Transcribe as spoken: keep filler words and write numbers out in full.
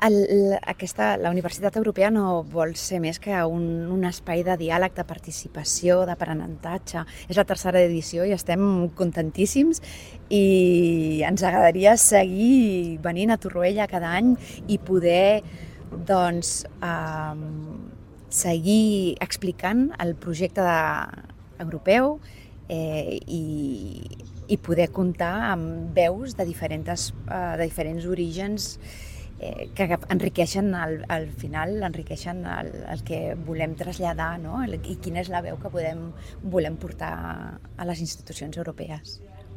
El, aquesta, la Universitat Europea no vol ser més que un, un espai de diàleg, de participació, d'aprenentatge. És la tercera edició i estem contentíssims i ens agradaria seguir venint a Torroella cada any i poder doncs, eh, seguir explicant el projecte de, europeu eh, i, i poder comptar amb veus de diferents, eh, de diferents orígens eh, que enriqueixen al, al final, enriqueixen el, el que volem traslladar, no? I quina és la veu que podem, volem portar a les institucions europees.